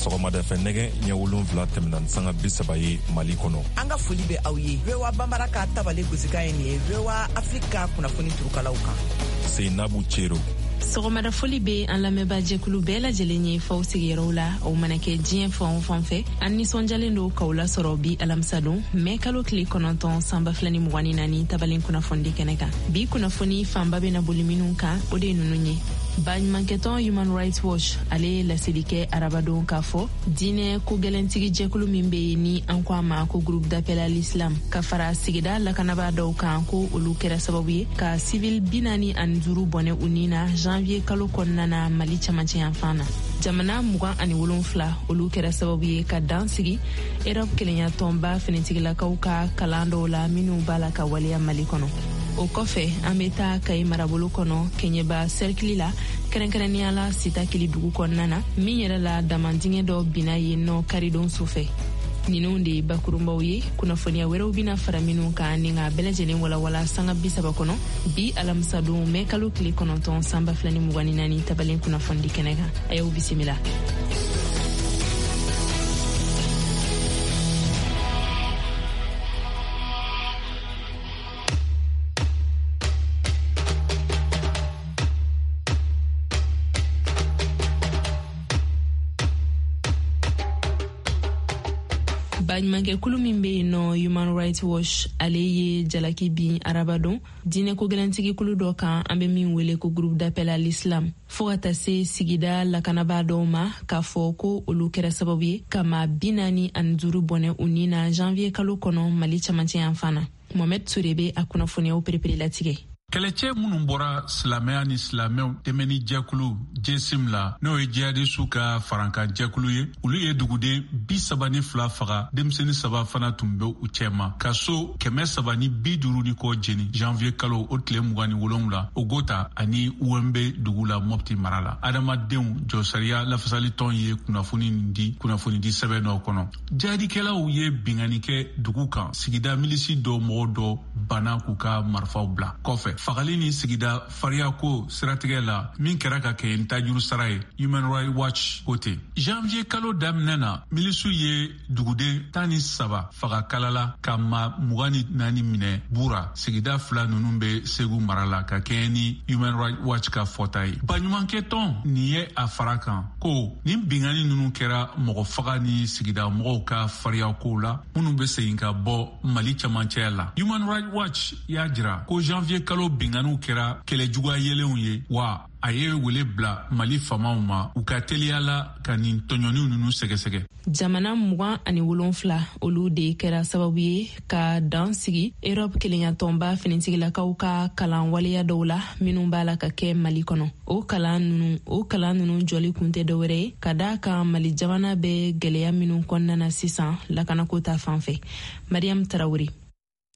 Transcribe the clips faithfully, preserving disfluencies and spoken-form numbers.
Sɔgɔmada fɛ nɛgɛ ɲɛ wolonwula tɛmɛna ni sanga bi saba ye Mali kɔnɔ. An ka foli bɛ aw ye. V O A Banbara ka tabale gosikan ye nin ye V O A Afrique ka kunnafoni turukalaw kan. Seinabu Cero. Sɔgɔmada foli bɛ an lamɛnbaa jɛkulu bɛɛ lajɛlen ye faw sigiyɔrɔw la, aw mana kɛ diɲɛ fan o fan fɛ. An nisɔndiyalen don k'aw lasɔrɔ bi alamisa don mɛ kalo tile kɔnɔntɔn san ba fila ni mugan ni naani tabalen kunnafonidi kɛnɛ kan. Bi kunnafoni fanba bɛna boli minnu kan, o de ye ninnu ye. Baɲumankɛtɔn Human Rights Watch ale ye laseli kɛ arabadon k'a fɔ diinɛ ko gɛlɛntigi jɛkulu min bɛ yen ni an ko a ma ko Groupe d'appel à l'Islam, ka fara sigida lakanabaa dɔw kan, ko olu kɛra sababu ye ka civil bi naani ani duuru bɔnɛ u ni na janvier kalo kɔnɔna na Mali camancɛ yanfan na. Jamana mugan ani wolonfila olu kɛra sababu ye ka dan sigi Europe kelenya tɔnba finitigilakaw ka kalan dɔw la minnu b'a la ka waleya Mali kɔnɔ. O kɔfɛ, an bɛ taa Kayi marabolo kɔnɔ, Kɛɲɛba sɛrikili la, kɛrɛnkɛrɛnnenya la Sitakili dugu kɔnɔna na, min yɛrɛ la damandingɛ dɔ binna yen nɔ karidon su fɛ. Ninnu de ye bakurunbaw ye. Kunnafoniya wɛrɛw bɛna fara minnu kan ni k'a bɛɛ lajɛlen walawala sanga bi saba kɔnɔ bi alamisadon mɛ kalo tile kɔnɔntɔn san ba fila ni mugan ni naani tabalen kunnafonidi kɛnɛ kan. A y'aw bisimila. Baɲumankɛkulu min bɛ yen nɔ Human Rights Watch, ale ye jalaki bin arabadon diinɛ ko gɛlɛntigi kulu dɔ kan an bɛ min wele ko Groupe d'appel à l'Islam, fɔɔ ka taa se sigida lakanabaa dɔw ma, k'a fɔ ko olu kɛra sababu ye ka maa bi naani ani duuru bɔnɛ u ni na janvier kalo kɔnɔ Mali camancɛ yanfan na. Mohamed Ture bɛ a kunnafoniyaw perepere latigɛ. Kɛlɛcɛ minnu bɔra silamɛya ni silamɛw dɛmɛni jɛkulu J S I M la, n'o ye jihadisu ka farankan jɛkulu ye, olu ye duguden bi saba ni fila faga, denmisɛni saba fana tun bɛ u cɛma, ka so kɛmɛ saba ni bi duuru ni kɔ jeni janvier kalo o tile mugan ni wolonwula Ogota ani Uwɛnbe dugu la, Mɔpti mara la. Adamadenw jɔsariya lafasalitɔn ye kunnafoni nin di kunnafonidi sɛbɛn dɔ kɔnɔ. Jihadikɛlaw ye bingani kɛ dugu kan. Sigida milisi dɔ mɔgɔ dɔ banna k'u ka marifaw bila kɔfɛ fagali ni sigida fariyako siratigɛ la min kɛra ka kɛ ni tajuru sara ye, Human Rights Watch ko ten. Janvier kalo daminɛ na, milisiw ye duguden tan ni saba faga Kalala, ka ma mugan ni naani minɛ Bura. Sigida fila ninnu bɛ Segu mara la, ka kɛɲɛ ni Human Rights Watch ka fɔta ye. Baɲumankɛtɔn nin ye a fara kan ko nin bingani ninnu kɛra mɔgɔ faga ni sigida mɔgɔw ka fariyakow la minnu bɛ segin ka bɔ Mali camancɛya la. Human Rights Watch y'a jira ko janvier kalo binganiw kɛra kɛlɛjuguya yelenw ye, wa a ye wele bila Mali faamaw ma u ka teliya la ka nin tɔɲɔniw ninnu sɛgɛsɛgɛ. Jamana mugan ani wolonfila olu de kɛra sababu ye ka dan sigi Europe kelenyatɔnba finitigilakaw ka kalan waleya dɔw la minnu b'a la ka kɛ Mali kɔnɔ. O kalan nunu o kalan nunu jɔli kun tɛ dɔwɛrɛ ye ka daa kan Mali jamana bɛ gwɛlɛya minnu kɔnɔna na sisan lakanako ta fan fɛ. Mariam Tarawure.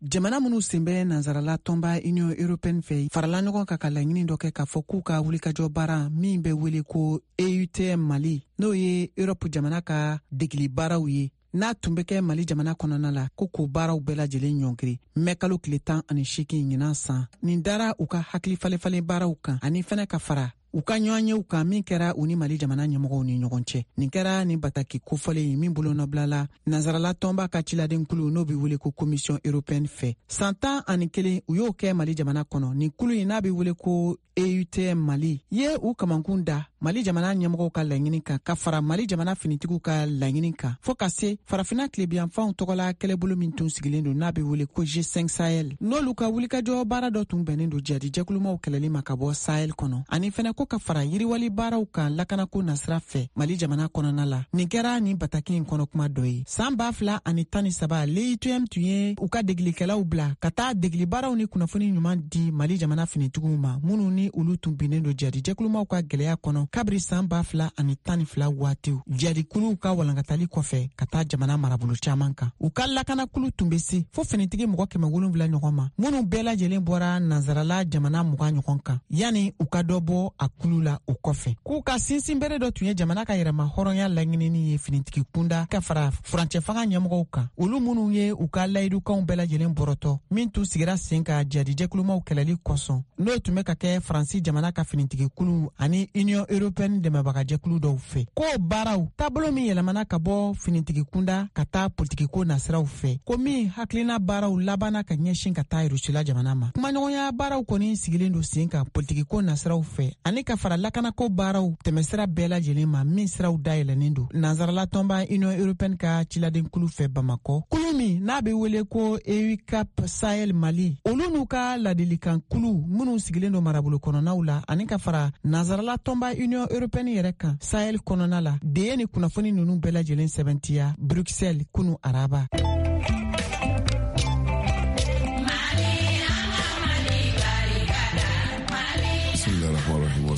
Jamana minnu sen bɛ nansarala tɔnba Union européenne fɛ farala ɲɔgɔn kan ka laɲini dɔ kɛ k'a fɔ k'u ka wulikajɔ baara min bɛ wele ko E U T M Mali, n'o ye Europe jamana ka degeli baaraw ye, n'a tun bɛ kɛ Mali jamana kɔnɔna la, ko k'o baaraw bɛɛ lajɛlen ɲɔngiri mɛ kalo tile tan ani seegin ɲinan san. Nin dara u ka hakili falefalen baaraw kan ani fɛnɛ ka fara u ka ɲɔgɔnyew kan min kɛra u ni Mali jamana ɲɛmɔgɔw ni ɲɔgɔn cɛ. Nin kɛra nin bataki kofɔlen min bolonɔbilala nansarala tɔnba ka ciladenkulu, n'o be wele ko Commission européenne fɛ. San tan ani kelen u y'o kɛ Mali jamana kɔnɔ. Nin kulu in n'a be wele ko E U T M Mali ye u kamankun da Mali jamana ɲɛmɔgɔw ka laɲini kan, ka fara Mali jamana finitigiw ka laɲini kan, fɔɔ ka se Farafina tilebiyanfanw tɔgɔla kɛlɛbolo min tun sigilen don, n'a be wele ko G cinq Sahel, n'olu ka wulikajɔ baara dɔ tun bɛnnen don jadi jɛkulumaw kɛlɛli ma ka bɔ Sahel kɔnɔ, ani fɛnɛ ko ka fara yiriwali baaraw kan lakanako nasira fɛ Mali jamana kɔnɔna la. Nin kɛra nin bataki in kɔnɔ kuma dɔ ye. Saan b'a fila ani tan ni saba, l'E U T M tun ye u ka degilikɛlaw bila ka taa degili baaraw ni kunnafoni ɲuman di Mali jamana finitigiw ma, minnu ni olu tun binnen don jadi jɛkulumaw ka gwɛlɛya kɔnɔ kabiri saan ba fila ani tan ni fila waatiw jadikuluw ka walankatali kɔfɛ ka taa jamana marabolo caaman kan. U ka lakanakulu tun be se fo finitigi mɔgɔ kɛmɛ wolonfila ɲɔgɔn ma, minnu bɛɛ lajɛlen bɔra nansarala jamana mugan ɲɔgɔn kan, yani u ka dɔ bɔ a kulu la o kɔfɛ. K'u ka sinsin bere dɔ tun ye jamana ka yɛrɛma hɔrɔnya laɲinini ye finitigi kunda, ka fara furancɛ fanga ɲɛmɔgɔw kan, olu minnu ye u ka layidukanw bɛɛ lajɛlen bɔrɔtɔ min tun sigira sen ka jadijɛkulumaw kɛlɛli kosɔn, n'o tun bɛ ka kɛ Faransi jamana ka finitigikulu ani Union européenne dɛmɛbagajɛkulu dɔw fɛ. Ko baaraw taabolo min yɛlɛmana ka bɔ finitigi kunda ka taa politikiko nasiraw fɛ, ko min hakilina baaraw labanna ka ɲɛsin ka taa Rusila jamana ma. Kumaɲɔgɔnya baaraw kɔni sigilen don sen kan politikiko nasiraw fɛ ani ka fara lakanako baaraw tɛmɛsira bɛɛ lajɛlen ma min siraw dayɛlɛnnen don nansarala tɔnba Union européenne ka ciladenkulu fɛ Bamakɔ. Kulu min n'a bɛ wele ko E U C A P Sahel Mali, olu n'u ka ladilikan kulu minnu sigilen don marabolo kɔnɔnaw la ani ka fara nansarala tɔnba Union européenne yɛrɛ kan Sahel kɔnɔna la de ye ni kunnafoni ninnu bɛɛ lajɛlen sɛbɛntiya Bruxelles kunu araba.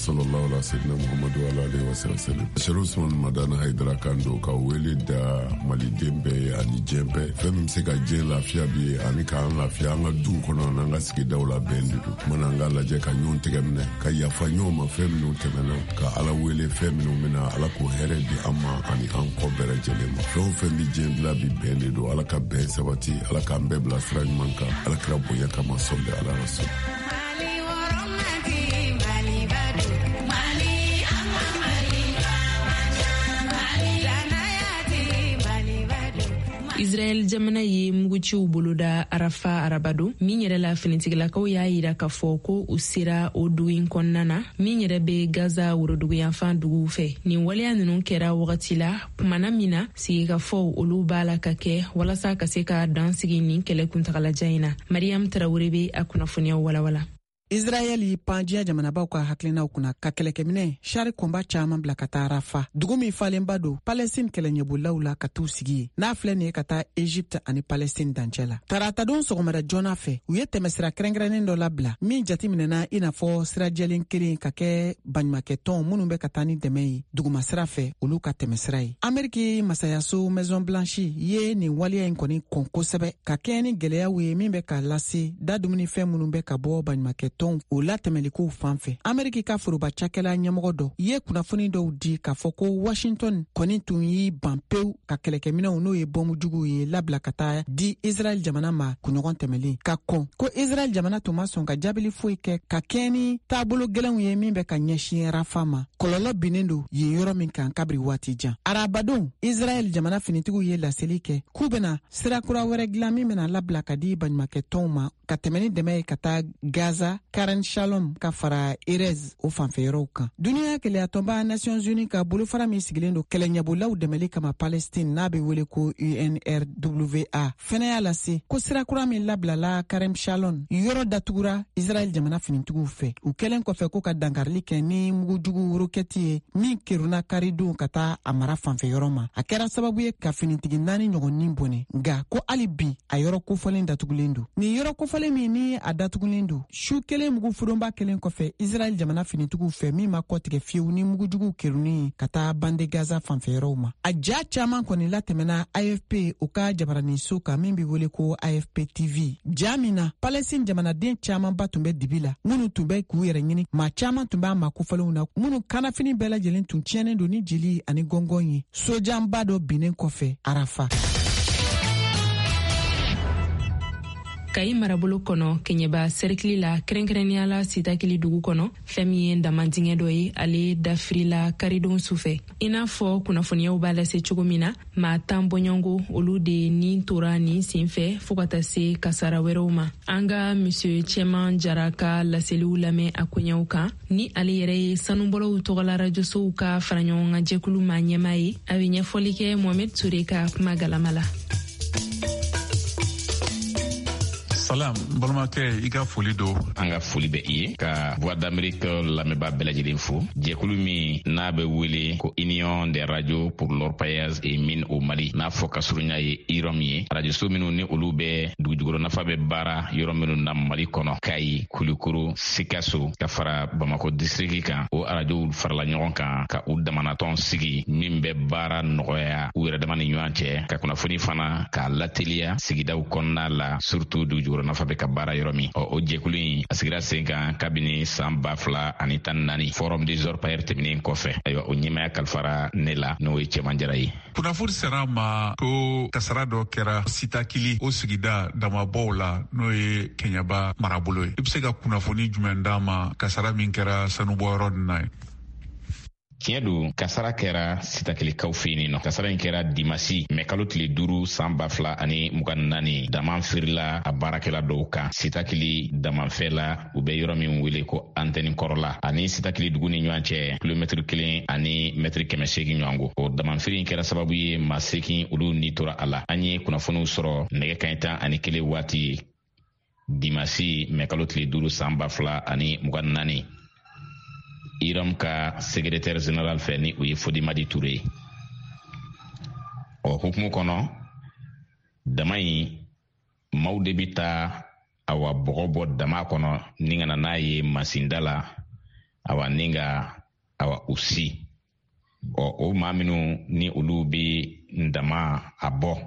Sallallahu ala sayyidina Muhammadu wa alihi wa sallam. Sherif Usman Madani Haidara kan don ka wele da maliden bɛɛ ye ani diɲɛ bɛɛ. Fɛn min bɛ se ka diɲɛ lafiya bi ye ani k'an lafiya an ka duw kɔnɔ n'an ka sigidaw la bɛn de don. Mana an ka lajɛ ka ɲɔgɔn tɛgɛ minɛ ka yafa ɲɔgɔn ma fɛn minnu tɛmɛna ka Ala wele fɛn minnu bɛna Ala k'o hɛrɛ di an ma ani an kɔ bɛɛ lajɛlen ma. Fɛn o fɛn bɛ diɲɛ dilan bi bɛn de don. Ala ka bɛn sabati, Ala k'an bɛɛ bila sira ɲuman kan, Ala kira bonya kama sɔli ala rasul. Israel jamana ye muguciw boloda Arafa arabado min yɛrɛ la finitigilakaw y'a yira k'a fɔ ko u sera o dugu in kɔnɔna na min yɛrɛ bɛ Gaza woroduguyanfan duguw fɛ. Nin waleya ninnu kɛra wagati la kumana min na sigikafɔw olu b'a la ka kɛ walasa ka se ka dan sigi nin kɛlɛ kuntagalajan in na. Mariam Tarawele bɛ a kunnafoniyaw walawala. Israɛl y'i pan diɲɛ jamanabaw ka hakilinaw kunna ka kɛlɛkɛminɛ char combat caman bila ka taa Rafa, dugu min falenba don Palestine kɛlɛɲɛbolilaw la ka t'u sigi yen n'a filɛ nin ye ka taa Egypte ani Palestine dancɛ la. Taratadon sɔgɔmada joona fɛ, u ye tɛmɛsira kɛrɛnkɛrɛnnen dɔ labila min jatiminɛna i n'a fɔ sira jɛlen kelen ka kɛ baɲumakɛtɔn minnu bɛ ka taa ni dɛmɛ ye dugumasira fɛ olu ka tɛmɛsira ye. Ameriki masayaso Maison Blanche ye nin waleya in kɔni kɔn kosɛbɛ ka kɛɲɛ ni gɛlɛyaw ye min bɛ ka lase da dumunifɛn minnu bɛ ka bɔ baɲumakɛ o latɛmɛlikow fan fɛ. Ameriki ka foroba cakɛla ɲɛmɔgɔ dɔ ye kunnafoni dɔw di k'a fɔ ko Washington kɔni tun y'i ban pewu ka kɛlɛkɛminɛw n'o ye bɔnmujuguw ye labila ka taa di Israɛl jamana ma kunɲɔgɔn tɛmɛlen ka kɔn ko Israɛl jamana tun ma sɔn ka jaabili foyi kɛ ka kɛɲɛ ni taabolo gɛlɛnw ye min bɛ ka ɲɛsin Rafa ma. Kɔlɔlɔ binnen don yen yɔrɔ min kan kabiri waati jan. Arabadon, Israɛl jamana finitigiw ye laseli kɛ k'u bɛna sira kura wɛrɛ dilan min bɛna labila ka di baɲumakɛtɔnw ma ka tɛmɛ ni dɛmɛ ye ka taa Gaza, Karen Shalom ka fara Erez o fanfɛyɔrɔw kan. Duniya kɛlɛyatɔnba Nations Unies ka bolofara min sigilen don kɛlɛɲɛbolaw dɛmɛli kama Palestine n'a bɛ wele ko U N R W A fɛnɛ y'a lase ko sira kura min labilala Karen Shalom yɔrɔ datugura Israɛl jamana finitigiw fɛ u kɛlen kɔfɛ ko ka dankarili kɛ ni mugujugu rokɛti ye min kerunna karidon ka taa a mara fanfɛyɔrɔ ma. A kɛra sababu ye ka finitigi naani ɲɔgɔn ni bɔnɛ, nka ko hali bi a yɔrɔ kofɔlen datugulen don. Nin yɔrɔ kofɔlen min ni a datugulen don su kelen mugu furunba kelen kɔfɛ Israɛl jamana finitigiw fɛ min ma kɔtigɛ fiyewu ni mugujuguw kerunni ka taa bande Gaza fanfɛyɔrɔw ma. A ja caman kɔni latɛmɛna A F P o ka jabaraninso kan min bɛ wele ko A F P T V. Ja min na Palestine jamanaden camanba tun bɛ dibi la minnu tun bɛ k'u yɛrɛ ɲini, maa caman tun b'a ma kofɔlenw na minnu kannafini bɛɛ lajɛlen tun tiɲɛnen don ni jeli ani gɔngɔn ye sojanba dɔ binnen kɔfɛ Arafa. Kayi marabolo kɔnɔ Kɛɲɛba sɛrikili la kɛrɛnkɛrɛnnenya la Sitakili dugu kɔnɔ fɛn min ye damandingɛ dɔ ye ale dafirila karidon sufɛ. I n'a fɔ kunnafoniyaw b'a lase cogo min na, maa tan bɔɲɔgɔnko olu de ni tora nin senfɛ fɔɔ ka taa se kasara wɛrɛw ma. An ka Monsieur Cɛman Jara ka laseliw lamɛn a koɲɛw kan ni ale yɛrɛ ye sanubɔlaw tɔgɔla rajosow ka faraɲɔgɔnkan jɛkulu maa ɲɛmaa ye. A bɛ ɲɛfɔli kɛ Mohamed Toure ka kuma galama la. Salam, balimakɛ, i ka foli don. An ka foli bɛ i ye ka Voix d'Amérique lamɛnbaa bɛɛ lajɛlen fo. Jɛkulu min n'a bɛ wele ko Union des radios pour l'orpaillage et mines au Mali, n'a fɔ ka surunya ye I R O M ye. Rajoso minnu ni olu bɛ dugujukɔrɔ nafa bɛ baara yɔrɔ minnu na Mali kɔnɔ, Kayi, Kulukoro, Sikaso ka fara Bamako district kan, o arajow farala ɲɔgɔn kan ka u damanatɔn sigi min bɛ baara nɔgɔya u yɛrɛ dama ni ɲɔgɔn cɛ, ka kunnafoni fana k'a lateliya sigidaw kɔnɔna la, surtout dugujukɔrɔ nafa bɛ ka baara yɔrɔ min. Ɔ o jɛkulu in a sigira sen kan kabini san ba fila ani tan ni naani forum des orpailleurs tɛmɛnen kɔfɛ. Ayiwa, o ɲɛmaaya kalifara ne la, n'o ye Cɛman Jara ye. Kunnafoni sera ma ko kasara dɔ kɛra Sitakili o sigida damabɔw la n'o ye Kɛɲɛba marabolo ye. I bɛ se ka kunnafoni jumɛn d'a ma kasara min kɛra sanubɔyɔrɔ nin na ye? Tiɲɛ don, kasara kɛra Sitakilikaw fɛ yen nɔ. Kasara in kɛra dimasi mɛ kalo tile duuru san ba fila ani mugan ni naani. Dama firila a baarakɛla dɔw kan Sitakili damanfɛ la, u bɛ yɔrɔ min wele ko antɛni kɔrɔla, ani Sitakili dugu ni ɲɔgɔn cɛ kilomɛtiri kelen ani mɛtiri kɛmɛ seegin ɲɔgɔn ko. O damanfiri in kɛra sababu ye maa seegin olu ni tora a la. An ye kunnafoniw sɔrɔ nɛgɛ kanɲɛ tan ani kelen waati dimasi mɛ kalo tile duuru san ba fila ani mugan ni naani, IROM ka secrétaire général fɛ, ni o ye Fodimadi Ture ye. O hukumu kɔnɔ, dama in maaw de bi taa awa bɔgɔ bɔ dama kɔnɔ ni ka na n'a ye masinda la, awa ni ka awa u si. Ɔ o maa minnu ni olu bi dama a bɔ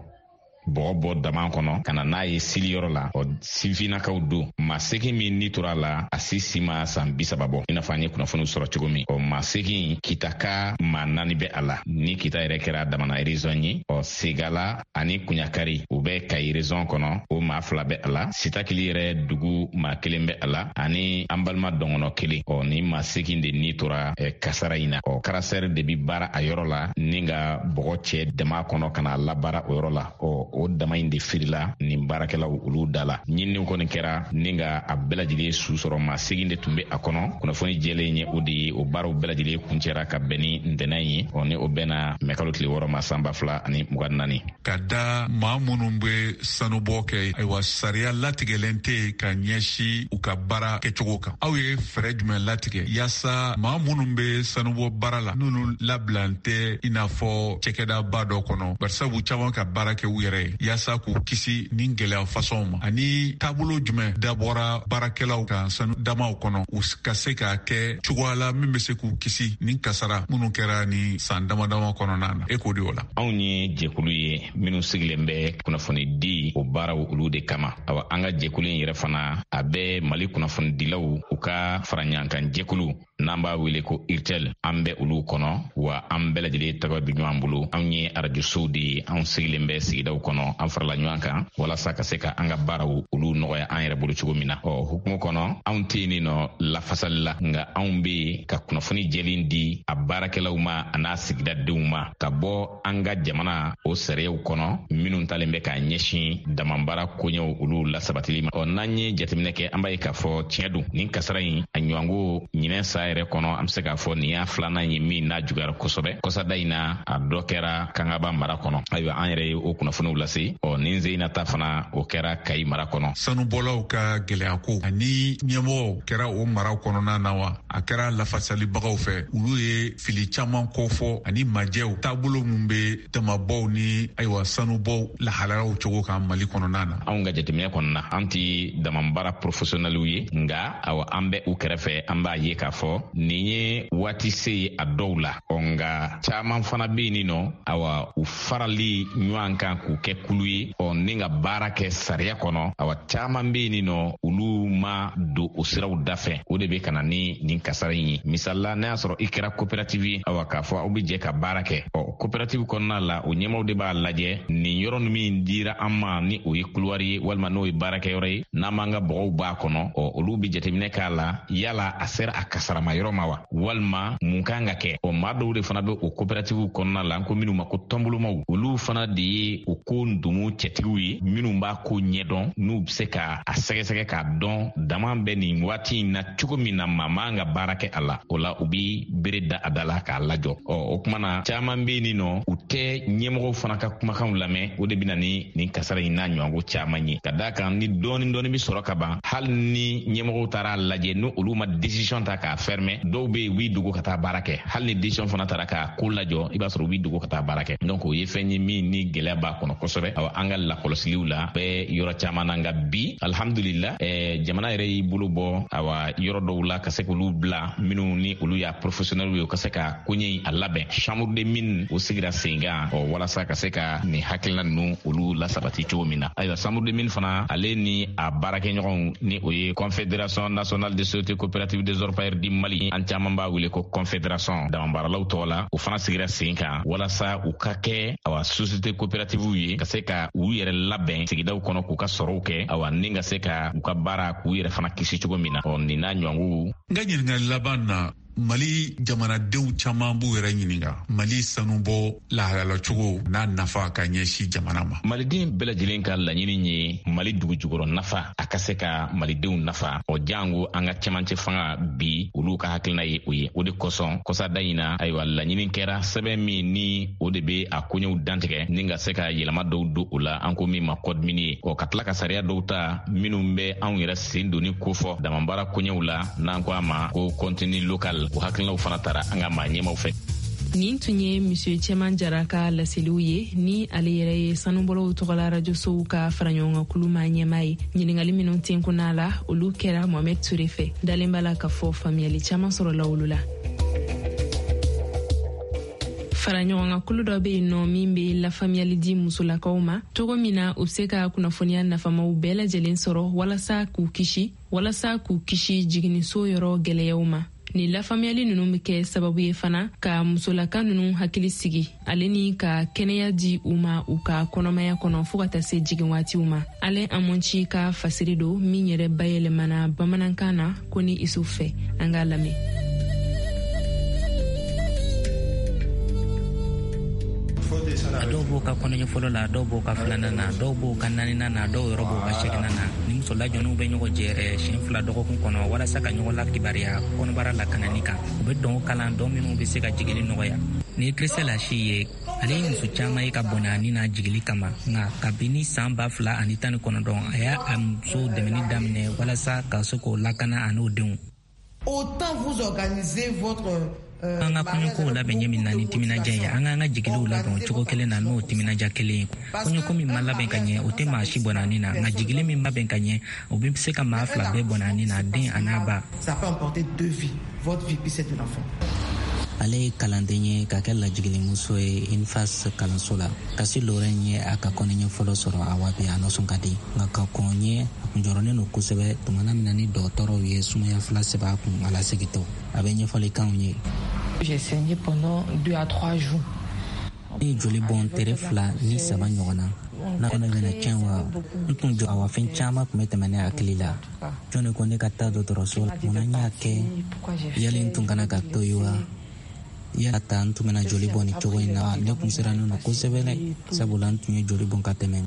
bɔgɔ bɔ dama kɔnɔ ka na n'a ye sili yɔrɔ la, ɔ sifinnakaw don. Maa seegin min ni tora a la, a si si ma san bi saba bɔ, i n'a fɔ an ye kunnafoniw sɔrɔ cogo min. Ɔ maa seegin, Kitaka maa naani bɛ a la, ni Kita yɛrɛ kɛra damana région ye. Ɔ Segala ani Kuɲakari, u bɛ Kayi région kɔnɔ, o maa fila bɛ a la. Sitakili yɛrɛ dugu maa kelen bɛ a la, ani an balima dɔngɔnɔ kelen. Ɔ ni maa seegin de ni tora kasara in na. Ɔ karasɛri de bi baara a yɔrɔ la ni ka bɔgɔ cɛ dama kɔnɔ ka na labaara o yɔrɔ la. Ɔ o dama in de firila nin baarakɛlaw olu da la. Ɲininiw kɔni kɛra ni ka a bɛɛ lajɛlen su sɔrɔ, maa seegin de tun bɛ a kɔnɔ. Kunnafoni jɛlen ye o de ye, o baaraw bɛɛ lajɛlen kuncɛra ka bɛn ni ntɛnɛn ye, ɔ ni o bɛnna mɛkalo tile wɔɔrɔ ma san ba fila ani mugan ni naani. Ka da maa minnu bɛ sanubɔ kɛ, ayiwa sariya latigɛlen tɛ ka ɲɛsin u ka baara kɛcogo kan. Aw ye fɛɛrɛ jumɛn latigɛ yaasa maa minnu bɛ sanubɔ baara la, n'olu labilalen tɛ i n'a fɔ cɛkɛdaba dɔ kɔnɔ, barisabu caman ka baara kɛ u yɛrɛ ye, yaasa k'u kisi nin gɛlɛya fasɔnw ma, ani taabolo jumɛn dabɔra baarakɛlaw kan sanu damaw kɔnɔ, u ka se k'a kɛ cogoya la min bɛ se k'u kisi nin kasara minnu kɛra ni san dama dama kɔnɔna na? E k'o de o la. Anw ye jɛkulu ye minnu sigilen bɛ kunnafoni di o baaraw olu de kama. Awa an ka jɛkulu in yɛrɛ fana, a bɛ Mali kunnafonidilaw u ka faraɲɔgɔnkan jɛkulu n'an b'a wele ko IRTEL, an bɛ olu kɔnɔ, wa an bɛɛ lajɛlen tɔgɔ bɛ ɲɔgɔn bolo. Anw ye arajosow de ye, anw sigilen bɛ sigidaw kɔnɔ, an farala ɲɔgɔn kan walasa ka se ka an ka baaraw olu nɔgɔya an yɛrɛ bolo cogo min na. Ɔ hukumu kɔnɔ, anw tɛ yen nɔ lafasali la, nka anw bɛ yen ka kunnafoni jɛlen di a baarakɛlaw ma a n'a sigidadenw ma, ka bɔ an ka jamana o sariyaw kɔnɔ minnu talen bɛ k'a ɲɛsin damanbaara koɲɛw olu lasabatili ma. Ɔ n'an ye jateminɛ kɛ, an b'a ye k'a fɔ tiɲɛ don, nin kasara in a ɲɔgɔnko ɲinɛ sa yɛrɛ kɔnɔ, an bɛ se k'a fɔ nin y'a filanan ye min n'a juguyara kosɛbɛ. Kɔsada in na, a dɔ kɛra Kangaba mara kɔnɔ. Ayiwa an yɛrɛ ye o kunnafoniw lase. Ɔ nin Zeyina ta fana, o kɛra Kayi mara kɔnɔ. Sanubɔlaw ka gɛlɛya ko ani ɲɛmɔgɔw kɛra o mara kɔnɔna na wa, a kɛra lafasalibagaw fɛ, olu ye fili caman kɔfɔ ani majɛw taabolo min bɛ damabɔw ni ayiwa sanubɔw lahalayaw cogo kan Mali kɔnɔna na. Anw ka jateminɛ kɔnɔna, an ti damanbaara professionnels ye, nka awa an bɛ u kɛrɛfɛ, an b'a ye k'a fɔ nin ye waati se ye a dɔw la. Ɔ nka caman fana bɛ yen nɔ, awa u farali ɲɔgɔn kan k'u kɛ kulu ye, ɔ ni ka baara kɛ sariya kɔnɔ, awa caman bɛ yen nɔ olu ma don o siraw da fɛ. O de bɛ ka na ni nin kasara in ye. Misali la, n'a y'a sɔrɔ i kɛra coopérative ye, awa k'a fɔ aw bɛ jɛ ka baara kɛ, ɔ coopérative kɔnɔna la, o ɲɛmaaw de b'a lajɛ nin yɔrɔ min dira an ma, ni o ye couloir ye walima n'o ye baarakɛyɔrɔ ye, n'an b'an ka bɔgɔw b'a kɔnɔ, ɔ olu bɛ jateminɛ k'a la yala a sera a kasarama yɔrɔ ma wa, walima mun kan ka kɛ. Ɔ maa dɔw de fana bɛ o coopérative kɔnɔna la, an ko minnu ma ko tɔnbolomaw, olu fana de ye o ko ndomo cɛtigiw ye minnu b'a ko ɲɛdɔn, n'u bɛ se ka a sɛgɛsɛgɛ k'a dɔn dama bɛ nin waati in na cogo min na maa man ka baara kɛ a la. O la u bi bere da a da la k'a lajɔ. Ɔ o kuma na, caman bɛ yen nɔ, u tɛ ɲɛmɔgɔw fana ka kumakanw lamɛn. O de bɛ na ni nin kasara in n'a ɲɔgɔnko caman ye, ka d'a kan ni dɔɔni dɔɔni bɛ sɔrɔ ka ban, hali ni ɲɛmɔgɔw taara lajɛ, ni olu ma décision ta k'a fermer, dɔw bɛ yen u b'i dogo ka taa baara kɛ. Hali ni décision fana taara k'a ko lajɔ, i b'a sɔrɔ u b'i dogo ka taa baara kɛ. Donc o ye fɛn ye min ni gɛlɛya b'a kɔnɔ kosɛbɛ. Awa an ka lakɔlɔsiliw la bɛ yɔrɔ caman na, nka bi alhamdulillah, eh, jamana yɛrɛ y'i bolo bɔ awa yɔrɔ dɔw la ka se k'olu bila minnu ni olu y'a professionnels ye, u ka se ka koɲɛ in a labɛn. Chambre de mine o sigira sen kan, ɔ walasa ka se ka nin hakilina ninnu olu lasabati cogo min na. Ayiwa chambre de mine fana, ale ni a baarakɛɲɔgɔnw, ni o ye Confédération nationale des sociétés coopératives des orpailleurs du Mali, an caman b'a wele ko confédération damanbaaralaw tɔgɔ la, o fana sigira sen kan walasa u ka kɛ awa société coopérative ye, ka se ka u yɛrɛ labɛn sigidaw kɔnɔ k'u ka sɔrɔw kɛ, awa ni ka se ka u ka baara k'u yɛrɛ fana kisi cogo min na. Ɔ nin n'a ɲɔgɔnw. N ka ɲininkali laban na, Mali jamanadenw caman b'u yɛrɛ ɲininka Mali sanubɔ lahalalacogo n'a nafa ka ɲɛsin jamana ma. Maliden bɛɛ lajɛlen ka laɲini ye Mali dugujukɔrɔ nafa a ka se ka malidenw nafa, o jango an ka cɛmancɛ fanga bi olu ka hakilina ye o ye. O de kosɔn kɔsada in na, ayiwa, laɲini kɛra sɛbɛn min ni o de bɛ a koɲɛw dantigɛ ni ka se ka yɛlɛma dɔw don o la, an ko min ma code minier, ɔ ka tila ka sariya dɔw ta minnu bɛ anw yɛrɛ sen donni kofɔ damabaara koɲɛw la, n'an ko a ma ko contenu local. O hakilinaw fana tara an ka maa ɲɛmaw fɛ. Nin tun ye Monsieur Cɛman Jara ka laseliw ye, ni ale yɛrɛ ye sanubɔlaw tɔgɔla rajosow ka faraɲɔgɔnkankulu maa ɲɛmaa ye. Ɲiningali minnu tenkunna la, olu kɛra Mohamed Ture fɛ. Dalen b'a la k'a fɔ faamuyali caman sɔrɔla olu la. Faraɲɔgɔnkankulu dɔ bɛ yen nɔ min bɛ lafaamuyali di musolakaw ma cogo min na u bɛ se ka kunnafoniya nafamaw bɛɛ lajɛlen sɔrɔ walasa k'u kisi walasa k'u kisi jiginniso yɔrɔ gɛlɛyaw ma. Nin lafaamuyali ninnu bɛ kɛ sababu ye fana ka musolaka ninnu hakili sigi ale ni ka kɛnɛya di u ma u ka kɔnɔmaya kɔnɔ fo ka taa se jigin waatiw ma. Alain Amonci ka fasiri don min yɛrɛ bayɛlɛmana bamanankan na ko ni Isu fɛ. An k'a lamɛn. A dɔw b'o ka kɔnɔɲɛ fɔlɔ la, a dɔw b'o ka filanan na, dɔw b'o ka naaninan na, dɔw yɛrɛ b'o ka seeginan na. Ni muso lajɔnniw bɛ ɲɔgɔn jɛrɛ siɲɛ fila dɔgɔkun kɔnɔ walasa ka ɲɔgɔn lakibariya kɔnɔbara lakanani kan. U bɛ dɔn kalan dɔn minnu bɛ se ka jigili nɔgɔya. Ni ye Christelle Ashi ye, ale ye muso caman ye ka bɔnɛ a ni n'a jigili kama, nka kabini san ba fila ani tan ni kɔnɔntɔn a y'a a muso dɛmɛni daminɛ walasa ka se k'o lakana a n'o denw. Autant vous organisez votre An ka kɔɲɔkow labɛn ɲɛ min na ni timinadiya ye, an k'an ka jigiliw labɛn o cogo kelen na n'o timinadiya kelen ye. Kɔɲɔko min ma labɛn ka ɲɛ, o tɛ maa si bɔnna ni na, nka jigili min labɛn ka ɲɛ, o bɛ se ka maa fila bɛɛ bɔnna ni na, den a n'a ba. Ale ye kalanden ye ka kɛ lajigilimuso ye INFAS kalanso la. Kasi Lorraine ye a ka kɔnɔɲɛ fɔlɔ sɔrɔ a waati a nisɔn ka di, nka ka kɔn ɲɛ a kun jɔrɔlen don kosɛbɛ tumana min na ni dɔgɔtɔrɔw ye sumaya fila sɛbɛn a kun a lasegitɔ. A bɛ ɲɛfɔli k'anw ye. J'ai saigné pendant deux à trois jours. Ne ye joli bɔn tere fila ni saba ɲɔgɔn na. N'a kɔnɔ bɛna tiɲɛ wa, n tun jɔ awa fɛn caman tun bɛ tɛmɛ ne hakili la. Jɔn de ko ne ka taa dɔgɔtɔrɔso la, munna n y'a kɛ? Yali n tun kana ka to yen wa? Yala ta n tun bɛna joli bɔn nin cogo in na, ne kun sirannen don kosɛbɛ dɛ, sabula n tun ye joli bɔn ka tɛmɛ.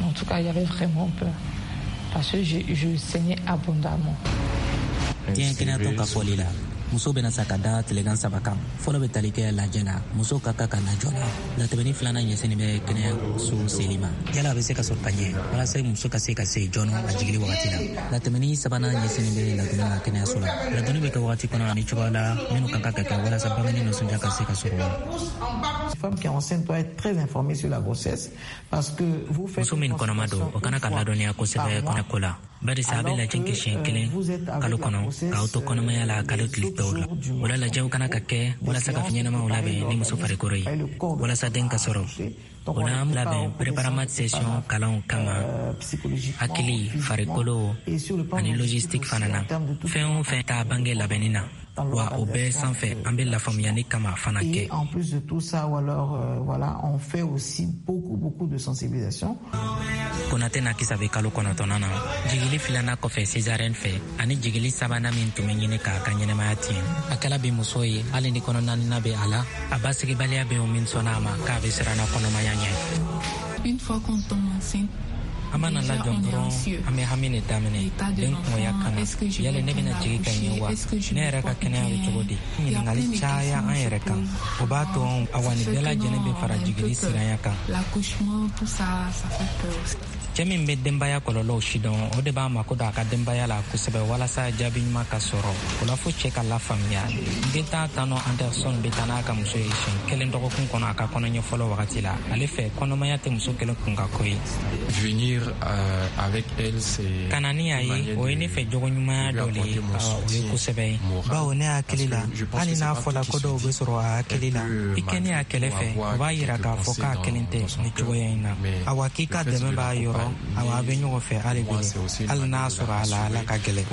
En tout cas, il y avait vraiment peur parce que je, je saignais abondamment. Diɲɛ kɛnɛyatɔn ka fɔli la, muso bɛna sa ka da tilegan saba kan. Fɔlɔ bɛ tali kɛ lajɛ la, muso ka kan ka na joona. Latɛmɛni filanan ɲɛsinnen bɛ kɛnɛyaso seli ma, yala a bɛ se ka sɔrɔ ka ɲɛ walasa muso ka se ka se joona a jigili wagati la. Latɛmɛni sabanan ɲɛsinnen bɛ ladonni ma kɛnɛyaso la. Ladonni bɛ kɛ wagati kɔnɔ ani cogoya la minnu ka kan ka kɛ walasa bangeni nisɔndiya ka se ka sɔrɔ. Muso min kɔnɔma don, o kana ka ladɔnniya kosɛbɛ kɔnɔko la, barisa a bɛ lajɛ kɛ siɲɛ kelen kalo kɔnɔ k'aw to kɔnɔmaya la kalo tile tɔw la. O la lajɛw kana ka kɛ walasa ka fɛn ɲɛnamaw labɛn ni muso farikolo ye walasa den ka sɔrɔ. O la an labɛn préparation session kalanw kama, hakili, farikolo ani logistique fana na. Fɛn o fɛn t'a bange labɛnni na, wa o bɛɛ sanfɛ an bɛ lafaamuyali kama fana kɛ. En plus de tout ça, ou alors euh, voilà, on fait aussi beaucoup beaucoup de sensibilisation. Konate na kisa bɛ kalo kɔnɔntɔnnan na, jigili filanan kɔfɛ césarienne fɛ, ani jigili sabanan min tun bɛ ɲini k'a ka ɲɛnamaya tiɲɛ. A kɛla bi muso ye, hali ni kɔnɔ naaninan bɛ a la, a basigibaliya bɛ o min sɔnna a ma k'a bɛ siran kɔnɔmaya ɲɛ. Une fois qu'on tombe enceinte, an mana lajɔ dɔrɔn, an bɛ hami de daminɛ den kungoya kama. Yali ne bɛna jigin ka ɲɛ wa? Ne yɛrɛ ka kɛnɛya bɛ cogo di? Ɲininkali caya an yɛrɛ kan, o b'a to awa nin bɛɛ lajɛlen bɛ fara jigili siranya kan. Cɛ min bɛ denbaya kɔlɔlɔw si dɔn, o de b'a mako don a ka denbaya la kosɛbɛ walasa jaabi ɲuman ka sɔrɔ. O la fo cɛ ka lafaamuya. Dentan Tano Anderson bɛ taa n'a ka muso ye siɲɛ kelen dɔgɔkun kɔnɔ a ka kɔnɔɲɛ fɔlɔ wagati la. Ale fɛ, kɔnɔmaya tɛ muso kelen kun ka ko ye. Venir euh, avec elle, c'est ka na ni a ye, o ye ne fɛ jogo ɲumanya dɔ le ye, o ye kosɛbɛ ye, bawo ne hakili la, hali n'a fɔla ko dɔw bɛ sɔrɔ a hakili la, i kɛni a kɛlɛ fɛ, o b'a yira k'a fɔ k'a kelen tɛ nin cogoya in na. Awa k'i ka dɛmɛ b'a yɔrɔ, awa a bɛ ɲɔgɔn fɛ hali bi, hali n'a sɔrɔ a la ala ka gɛlɛn.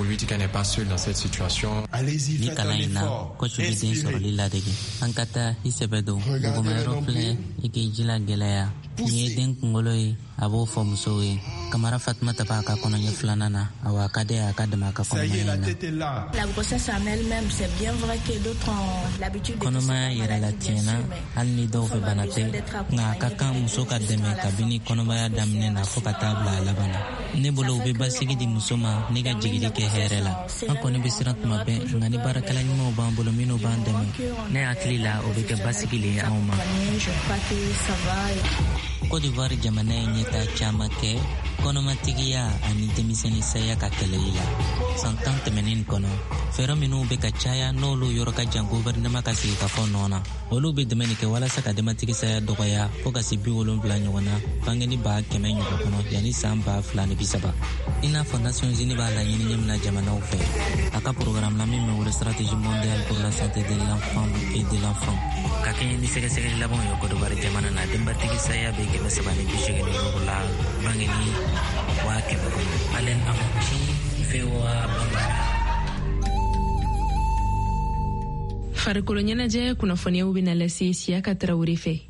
Ni kalan in na, coach bɛ den sɔrɔli ladege. An ka taa i sɛbɛ don duguma yɔrɔ filɛ, i k'i jila gɛlɛya. Nin ye den kunkolo ye, A b'o fɔ musow ye. Kamara Fatumata b'a ka kɔnɔɲɛ filanan na, awa a ka di a ka dɛmɛ a ka kɔnɔmaya na. Kɔnɔmaya yɛrɛ la tiɲɛna, hali ni dɔw fɛ bana tɛ, nka a ka kan muso ka dɛmɛ kabini kɔnɔmaya daminɛ na fo ka taa bila a laban na. Ne bolo, u bɛ basigi di muso ma ni ka jigili kɛ hɛrɛ la. An kɔni bɛ siran tuma bɛɛ, nka ni baarakɛla ɲumanw b'an bolo minnu b'an dɛmɛ, ne hakili la o bɛ kɛ basigi le ye anw ma. Côte d'Ivoire jamana ye ɲɛtaa caman kɛ kɔnɔmatigiya ani denmisɛnnin saya ka kɛlɛli la san tan tɛmɛnen kɔnɔ. Fɛɛrɛ minnu bɛ ka caya, n'olu yɔrɔ ka jan gouvernement ka sigikafɔ nɔ na, olu bɛ dɛmɛ nin kɛ walasa ka denbatigi saya dɔgɔya fo ka se bi wolonfila ɲɔgɔn na bangeni ba kɛmɛ ɲɔgɔn kɔnɔ yanni san ba fila ni bi saba, i n'a fɔ Nations Unies b'a laɲini ɲɛ min na jamanaw fɛ a ka programme la min bɛ wele Stratégie mondiale pour la santé de l'enfant et de l'enfant. Ka kɛɲɛ ni sɛgɛsɛgɛli labanw ye, Côte d'Ivoire jamana na, denbatigi saya bɛ kɛmɛ saba ni bi seegin ni duuru la bangeni waa kɛmɛ kɔnɔ. Alen Amoki, V O A Bambara. Farikolo ɲɛnajɛ kunnafoniyaw bɛna lase Siyaka Tarawele fɛ.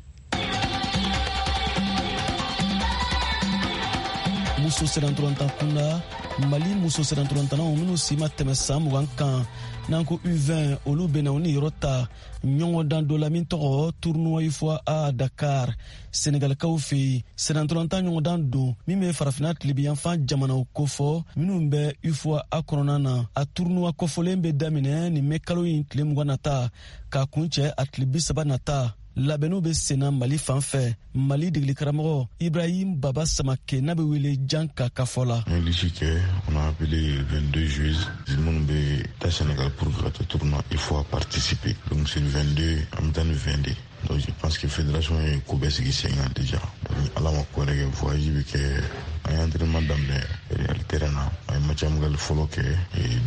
Muso sennantolatan kunda, Mali muso sennantolatannaw minnu si ma tɛmɛ san mugan kan, n'an ko U vingt, olu bena u ni yɔrɔ ta ɲɔgɔndan dɔ la min tɔgɔ Tournoi UFOA A, Dakar, Senegalikaw fɛ yen. Sennantolatan ɲɔgɔndan don min bɛ Farafina tilebiyanfan jamanaw kofɔ minnu bɛ UFOA A kɔnɔna na. A tournoi kɔfɔlen bɛ daminɛ nin mɛ kalo in tile mugan nata k'a kuncɛ a tile bi saba nata. Labɛnniw bɛ senna Mali fan fɛ. Mali degeli karamɔgɔ Ibrahim Baba Samake, n'a bɛ wele Janka, ka fɔ la. An ye liste kɛ, on a appelé vingt-deux joueuses minnu bɛ taa Sénégal pour que ka taa tournoi UFOA participer. Donc c'est le vingt-deux, an bɛ taa ni vingt de. Donc je pense que fédération ye ko bɛɛ sigi sen kan déjà. Ni Ala ma ko wɛrɛ kɛ, voyage bɛ kɛ. An ye entraînement daminɛ Real terrain na. An ye match amical fɔlɔ kɛ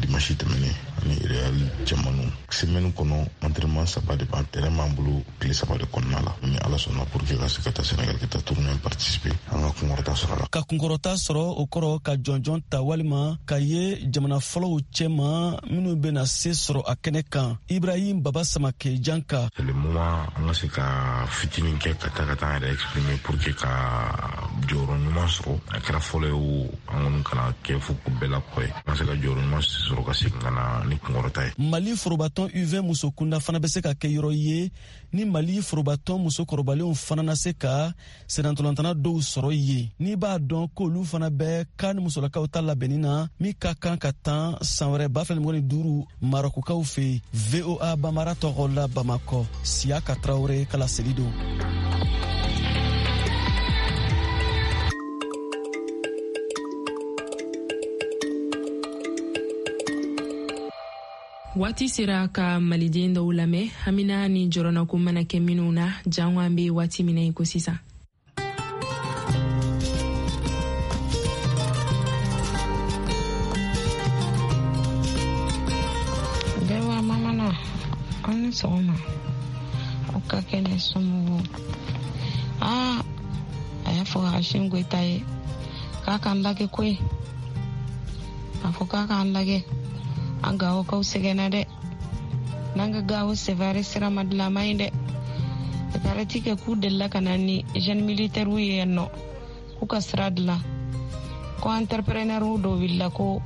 dimanche tɛmɛnen ani Real cɛmaninw. Semaine kɔnɔ, entraînement saba de b'an terrain b'an bolo tile saba de kɔnɔna la. Ni Ala sɔnna, pour que ka se ka taa Sénégal ka taa tournoi participer, an ka kunkɔrɔta sɔrɔ a la. Ka kunkɔrɔta sɔrɔ, o kɔrɔ ka jɔnjɔn ta walima ka ye jamana fɔlɔw cɛma minnu bɛna se sɔrɔ a kɛnɛ kan. Ibrahim Baba Samake, Janka. C'est le moment an ka se ka fitinin kɛ ka taa ka taa an yɛrɛ exprimer pour que ka jɔyɔrɔ ɲuman sɔrɔ. A kɛra fɔlɔ ye o, an kɔni kana kɛ fo ko bɛɛ la kɔ ye, an ka se ka jɔyɔrɔ ɲuman sɔrɔ ka segin ka na ni kunkɔrɔta ye. Mali forobatɔn U vingt muso kunda fana bɛ se ka kɛ yɔrɔ ye ni Mali forobatɔn muso kɔrɔbalenw fana na se ka sennantolatan dɔw sɔrɔ yen, n'i b'a dɔn k'olu fana bɛ kan ni musolakaw ta labɛnni na min ka kan ka tan san wɛrɛ ba fila ni duuru Marɔkukaw fɛ. V O A Bamara tɔgɔ la, Bamakɔ, Siyaka Tarawele kala seli don. Waati sera ka Maliden dɔw lamɛn, hamina ni jɔrɔnako mana kɛ minnu na, jango an be waati min na i ko sisan. Bɛɛ mamana, aw ni sɔgɔma, aw ka kɛnɛ, somɔgɔw? Aa, a y'a fɔ Assimi Goïta ye k'a k'an lagɛ koyi. A fɔ k'a k'an lagɛ, an Gawokaw sɛgɛnna dɛ. N'an ka Gawo Sevare sira ma dilan, a ma ɲi dɛ. Paraît que k'u delila ka na ni jeune militaire ye yan nɔ k'u ka sira dilan, ko entrepreneur dɔw wulila ko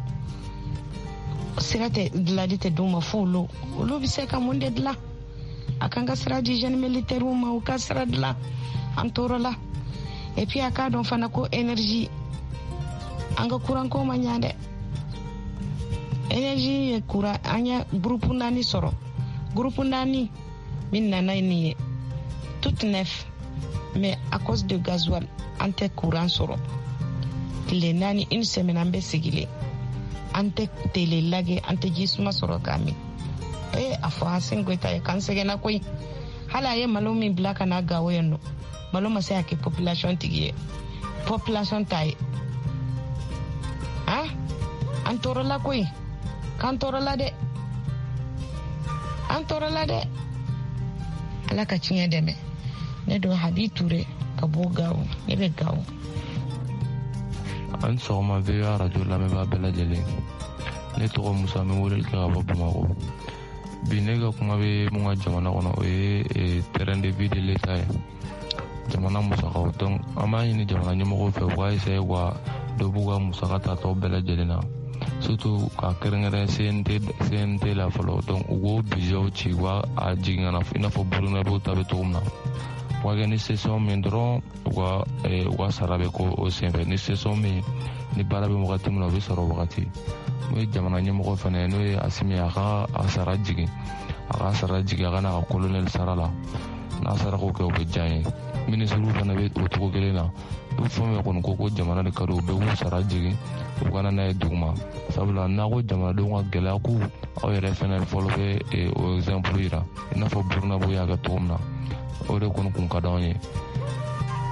sira tɛ dilali tɛ d'u ma fo olu olu bɛ se ka mun de dilan. A kan ka sira di jeune militaire ma, u ka sira dilan, an tɔɔrɔ la. Et puis a k'a dɔn fana ko énergie, an ka courant ko ma ɲa dɛ. Énergie ye courant, an ye groupe naani sɔrɔ, groupe naani min nana nin ye tout neuf, mais à cause de gasoil an tɛ courant sɔrɔ tile naani, une semaine an bɛ sigilen, an tɛ tele lagɛ, an tɛ ji suma sɔrɔ k'a min. Ee, a fɔ Assimi Goïta ye k'an sɛgɛnna koyi. Hali a ye malo min bila ka na Gawo yan nɔ, malo ma se ka kɛ population tigi ye, population ta ye. Han, an tɔɔrɔla koyi, k'an tɔɔrɔla dɛ, an tɔɔrɔla dɛ. Ala ka tiɲɛ dɛmɛ. Ne don Habi Ture ka bɔ Gawo, ne bɛ Gawo. An sɔgɔma, V O A radio lamɛnbaa bɛɛ lajɛlen. Ne tɔgɔ Musa, n bɛ weleli kɛ ka bɔ Bamakɔ. Bi ne ka kuma bɛ mun ka jamana kɔnɔ, o ye terrain de vie de l'État ye. Jamana musakaw, donc an b'a ɲini jamana ɲɛmɔgɔw fɛ u k'a essayer ka dɔ b'u ka musaka tatɔ bɛɛ lajɛlen na, surtout ka kɛrɛnkɛrɛn C N T C N T la fɔlɔ. Donc u k'o budget ci, u ka jigin ka na i n'a fɔ Burukina ta bɛ cogo min na. U ka kɛ ni session min dɔrɔn, u ka u ka sara bɛ k'o o senfɛ. Ni session min ni baara bɛ wagati min na, o bɛ sɔrɔ wagati. N'o ye jamana ɲɛmɔgɔ fana ye, n'o ye Asimi, a ka a sara jigin, a ka sara jigin, a ka n'a ka colonel sara la. N'a sara k'o kɛ, o bɛ diya n ye. Minisiriw fana bɛ o cogo kelen na. U fɛn fɛn kɔni ko ko jamana de ka di u bɛɛ k'u sara jigin, u kana n'a ye duguma. Sabula n'a ko jamanadenw ka gɛlɛya k'u, aw yɛrɛ fana fɔlɔ bɛ o exemple yira, i n'a fɔ Burukina y'a kɛ cogo min na. O de kɔni kun ka d'anw ye.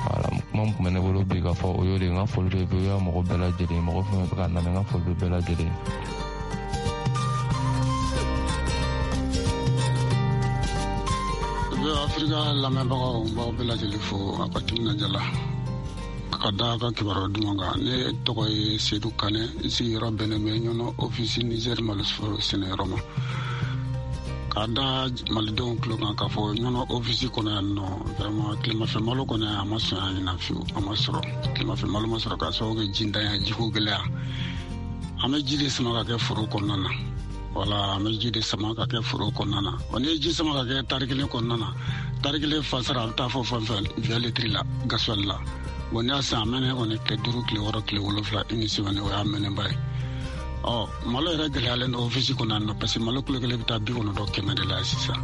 Wala, kuma min tun bɛ ne bolo bi ka fɔ o y'o de ye. N ka foli bɛ V O A mɔgɔ bɛɛ lajɛlen, mɔgɔ fɛn fɛn bɛ ka lamɛn, n ka foli bɛ bɛɛ lajɛlen. V O A Afrika lamɛnbagaw, n b'aw bɛɛ lajɛlen fo a ka timinandiya la ka da ka kibaruya duman kan. Ne tɔgɔ ye Seydou Kane, n sigiyɔrɔ bɛnnen bɛ Ɲɔnɔ ofisi Niger malosɔrɔ sɛnɛyɔrɔ ma. K'a da malidenw tulo kan k'a fɔ Ɲɔnɔ ofisi kɔnɔ yan nɔ, vraiment tilemafɛ malo kɔni a ma sɔn yan ɲinan fiyewu, a ma sɔrɔ. Tilemafɛ malo ma sɔrɔ k'a sababu kɛ jintanya, jiko gɛlɛya. An bɛ ji de sama ka kɛ foro kɔnɔna na. Wala, an bɛ ji de sama ka kɛ foro kɔnɔna na. Wa n'i ye ji sama ka kɛ tari kelen kɔnɔna na, tari kelen fasara a bɛ taa fɔ fɛn fɛn vingt litres la gasoil la. Bon, n'i y'a san a mɛnɛ kɔni tile duuru, tile wɔɔrɔ, tile wolonfila, une semaine, o y'a mɛnɛba ye. Ɔ malo yɛrɛ gɛlɛyalen don ofisi kɔnɔ yan nɔ, parce que malo kilo kelen bɛ taa bi kɔnɔntɔn kɛmɛ de la sisan.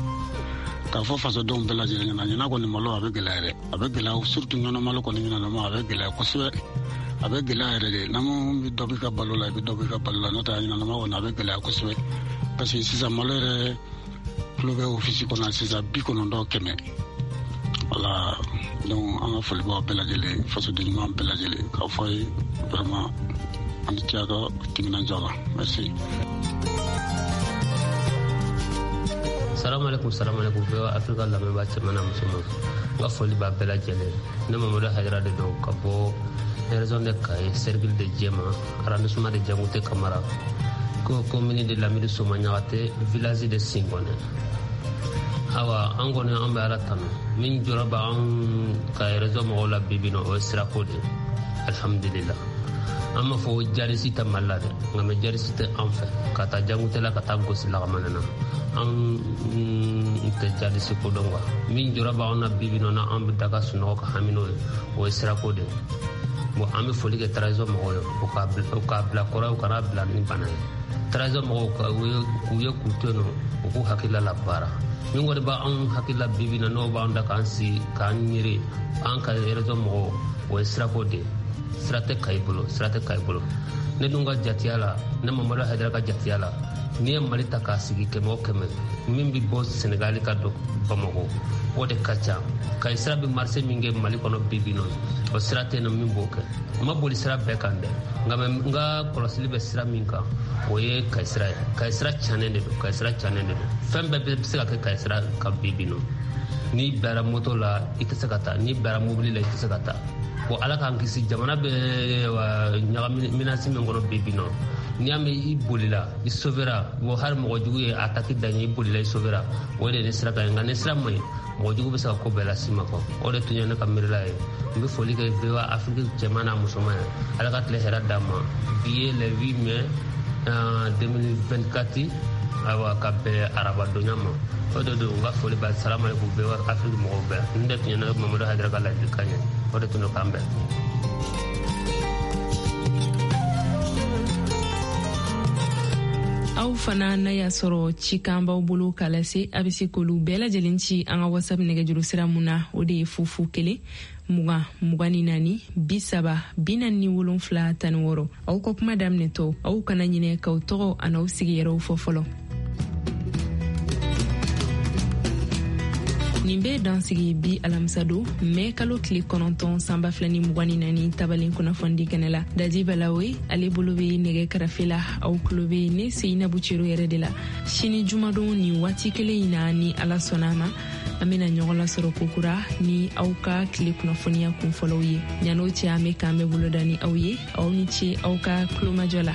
K'a fɔ fasodenw bɛɛ lajɛlen ɲɛna, ɲinan kɔni malo a bɛ gɛlɛya dɛ, a bɛ gɛlɛya, surtout Ɲɔnɔ malo kɔni ɲinan a bɛ gɛlɛya kosɛbɛ, a bɛ gɛlɛya yɛrɛ de. N'an bɛ dɔ b'i ka balo la, i bɛ dɔ b'i ka balo la, n'o tɛ a ɲinan kɔni a bɛ gɛlɛya kosɛbɛ, parce que sisan malo yɛrɛ kilo bɛ ofisi kɔnɔ sisan bi kɔnɔntɔn kɛmɛ. Wala, donc an ka foli b'aw bɛɛ lajɛlen, fasoden ɲuman bɛɛ lajɛlen, k'a fɔ a ye vraiment an ni ce a ka timinandiya la. Merci. Salamu alaikum, salamu alaikum. V O A Afrika lamɛnbaa cɛman n'a musoman, n ka foli b'a bɛɛ lajɛlen. Ne Mamadu Hayidara de don ka bɔ région de Kayi, cercle de Jɛma, arrondissement de Jangute Kamara, ko commune de Lamini Soma Ɲagate, village de Singɔnɛ. Awa, an kɔni an bɛ Ala tanu. Min jɔrɔ b'an ka région mɔgɔw la bi bi in na, o ye sirako de ye. Alhamdulillah. An b'a fɔ jarisi tɛ Mali la dɛ, nka mɛ jarisi tɛ an fɛ ka taa Jangute la, ka taa gosi Lagamanɛ na. An tɛ jarisi ko dɔn quoi. Min jɔrɔ b'anw na bi bi in na, an bɛ da ka sunɔgɔ ka hami n'o ye, o ye sirako de ye. Bon, an bɛ foli kɛ transition mɔgɔw ye, u k'a bila kɔrɔ, u kana bila ni bana ye. Transition mɔgɔw k'u ye k'u to yen nɔ, u k'u hakilila la baara. Min kɔni b'anw hakilila bi bi in na, n'o b'an da k'an sigi k'an ɲere an ka région mɔgɔw, o ye sirako de ye. Sira tɛ Kayi bolo, sira tɛ Kayi bolo. Ne dun ka jatiya la, ne Mamadu Hayidara ka jatiya la, n'i ye Mali ta k'a sigi kɛmɛ o kɛmɛ, min bɛ bɔ Senegali ka don Bamakɔ, o de ka ca. Kayi sira bɛ marché min kɛ Mali kɔnɔ bi bi in na, o sira tɛ yen nɔ min b'o kɛ. N ma boli sira bɛɛ kan dɛ, nka n ka kɔlɔsili bɛ sira min kan, o ye Kayi sira ye. Kayi sira cannen de don, Kayi sira cannen de don. Fɛn bɛɛ bɛ se ka kɛ Kayi sira kan bi bi in na. N'i bilara moto la, i tɛ se ka taa. N'i bilara mobili la, i tɛ se ka taa. Bon, Ala k'an kisi, jamana bɛ ɲagami menace min kɔnɔ bi bi in na, n'i y'a mɛn i bolila, i sauvera, bon, hali mɔgɔ jugu ye attaque da ɲɛ, i bolila, i sauvera, o de ye ni sira ka ɲi. Nka ni sira man ɲi, mɔgɔ jugu bɛ se ka ko bɛɛ las'i ma quoi. O de tun ye ne ka miirila ye. N bɛ foli kɛ V O A Afrique cɛman n'a musoman ye. Ala ka tile hɛrɛ d'an ma. Bi ye le huit mai deux mille vingt-quatre, ayiwa, ka bɛn arabadonya ma. O de don, n ka foli b'a. Salamu alaikum V O A Afrique mɔgɔw bɛɛ. Nin de tun ye ne Mamadu Hayidara ka ladilikan ye. O de tun don, k'an bɛn. Aw fana n'a y'a sɔrɔ cikan b'aw bolo k'a lase, a bɛ se k'olu bɛɛ lajɛlen ci an ka WhatsApp nɛgɛjuru sira mun na, o de ye fu fu kelen mugan mugan ni naani bi saba bi naani ni wolonfila tan ni wɔɔrɔ. Aw ka kuma daminɛtɔ, aw kana ɲinɛ k'aw tɔgɔ an'aw sigiyɔrɔw fɔ fɔlɔ. Nin bɛ dansigi bi alamisadon mɛ kalo tile kɔnɔntɔn sanba fila ni mugan ni naani tabalen kunnafonidi kɛnɛ la. Dadi Balawe ale bolo bɛ nɛgɛ karafe la, aw tulo bɛ ne Seyinabu Cero yɛrɛ de la. Sini jumadon nin waati kelen in na, ni Ala sɔnna a ma, an bɛna ɲɔgɔn lasɔrɔ kokura ni aw ka tile kunnafoniya kunfɔlɔw ye. Ɲan'o cɛ, an bɛ k'an bɛ boloda ni aw ye. Aw ni ce aw ka tulomajɔ la.